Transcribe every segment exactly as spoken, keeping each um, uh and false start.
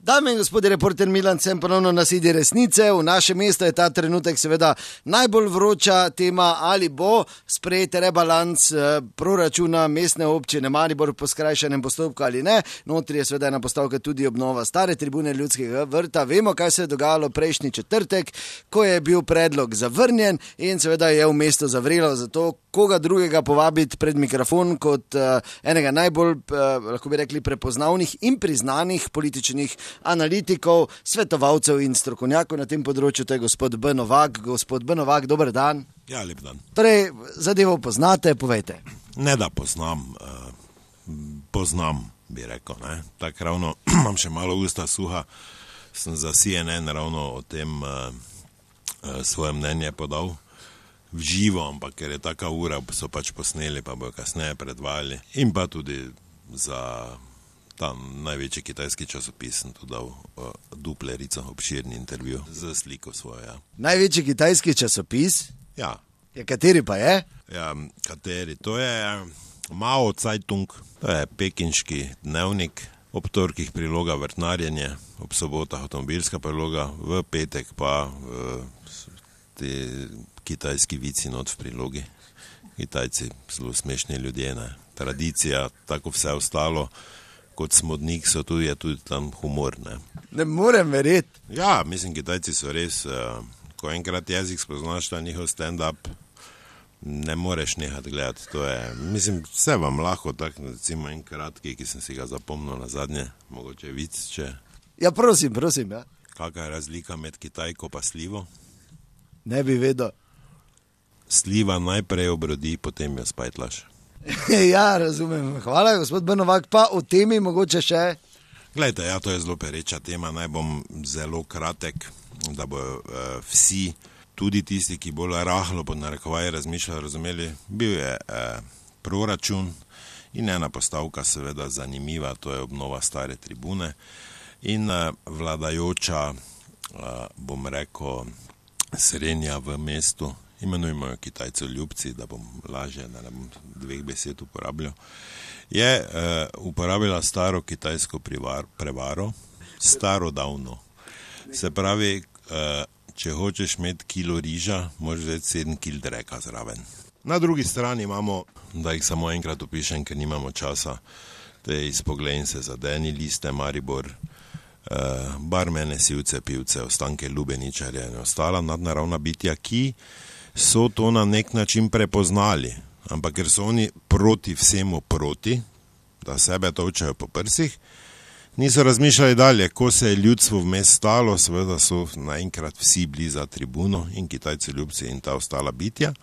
Dame in gospodje, reporter Milan Sem ponovno na sedi resnice. V našem mestu je ta trenutek seveda najbolj vroča tema, ali bo sprejet rebalans proračuna mestne občine Maribor po skrajšanem postopku ali ne. Notri je seveda ena postavka tudi obnova stare tribune Ljudskega vrta. Vemo, kaj se je dogajalo prejšnji četrtek, ko je bil predlog zavrnjen in seveda je v mestu zavrelo, zato koga drugega povabiti pred mikrofon kot uh, enega najbolj, uh, lahko bi rekli, prepoznavnih in priznanih političnih analitikov, svetovalcev in strokovnjakov na tem področju, to je gospod B. Novak. Gospod B. Novak, dober dan. Ja, lep dan. Torej, zadevo poznate, povejte. Ne da poznam, uh, poznam, bi rekel, ne. Tak ravno, imam še malo usta suha, sem za C N N ravno o tem uh, uh, svoje mnenje podal v živo, ampak ker je taka ura, so pač posneli, pa bojo kasneje predvajali. In pa tudi za tam največji kitajski časopis sem tu dal uh, duplerico, obširni intervju za sliko svojo, ja. Največji kitajski časopis? Ja. Ja, kateri pa je? Ja, kateri? To je Mao Zeitung, to je pekinški dnevnik, ob torkih priloga vrtnarjenje, ob sobotah avtomobilska priloga, v petek pa uh, te kitajski vici not v prilogi. Kitajci, zelo smešni ljudje, ne. Tradicija, tako vse ostalo, kot smodnik so tudi, je tudi tam humor, ne. Ne morem verjeti. Ja, mislim, Kitajci so res, uh, ko enkrat jezik spoznaš, ta njihov stand-up, ne moreš nehati gledati. To je, mislim, vse vam lahko, tak, recimo en kratki, ki sem si ga zapomnil na zadnje, mogoče vic, če... Ja, prosim, prosim, ja. Kakva je razlika med Kitajko pa slivo? Ne bi vedel. Sliva najprej obrodi, potem jo spajtlaš. Ja, razumem. Hvala, gospod B. Novak. Pa o temi mogoče še? Glejte, ja, to je zelo pereča tema. Naj bom zelo kratek, da bo uh, vsi, tudi tisti, ki bolj rahlo pod narekovaj razmišljajo, razumeli. Bil je uh, proračun in ena postavka seveda zanimiva, to je obnova stare tribune. In uh, vladajoča, uh, bom rekel, srednja v mestu, imenujemo jo Kitajcev ljubci, da bom lažje, da ne bom dveh besed uporabljal, je uh, uporabila staro kitajsko privar, prevaro, staro davno. Se pravi, uh, če hočeš imeti kilo riža, moraš vzeti sedem kil dreka zraven. Na drugi strani imamo, da jih samo enkrat opišem, ker nimamo časa, te izpoglejn se zadeni liste, Maribor, uh, barmene, sivce, pivce, ostanke lubeničarja in ostala nadnaravna bitja, ki so to na nek način prepoznali, ampak ker so oni proti vsemu proti, da sebe točajo po prsih, niso razmišljali dalje. Ko se je ljudstvo vmes stalo, seveda so naenkrat vsi bili za tribuno in Kitajci ljubci in ta ostala bitja.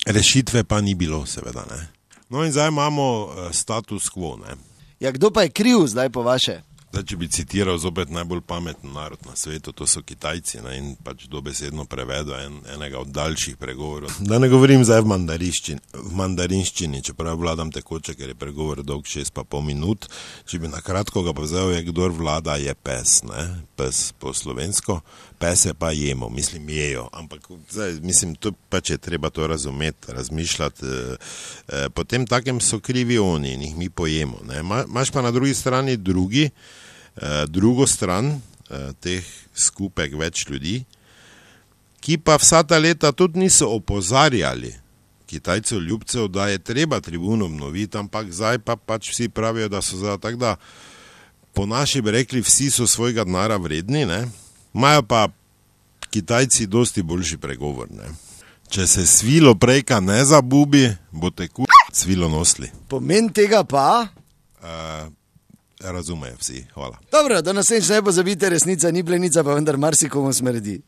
Rešitve pa ni bilo, seveda, ne. No in zdaj imamo status quo, ne. Ja, kdo pa je kriv zdaj po vaše? Zdaj, če bi citiral zopet najbolj pameten narod na svetu, to so Kitajci, ne, in pač dobesedno prevedo en, enega od daljših pregovorov. Da ne govorim zdaj v mandarinščini, v mandarinščini, čeprav vladam tekoče, ker je pregovor dolg šest pa pol minut. Če bi na kratko ga povzel, je kdor vlada je pes, ne, pes po slovensko, pese pa jemo, mislim jejo, ampak zdaj, mislim, to pač je treba to razumeti, razmišljati. E, e, potem takem so krivi oni in jih mi pojemo, ne. Ma, imaš pa na drugi strani drugi, drugo stran teh skupek več ljudi, ki pa vsa ta leta tudi niso opozarjali Kitajcev ljubcev, da je treba tribuno obnoviti, ampak zdaj pa pač vsi pravijo, da so zdaj tak, da po naši bi rekli, vsi so svojega denara vredni, ne, imajo pa Kitajci dosti boljši pregovor, ne. Če se svilo prejka ne zabubi, boste kur svilo nosli. Pomen tega pa? Uh, Razumejo vsi, hvala. Dobro, do naslednjič ne pozabite, resnica ni plenica, pa vendar marsikomu smrdi.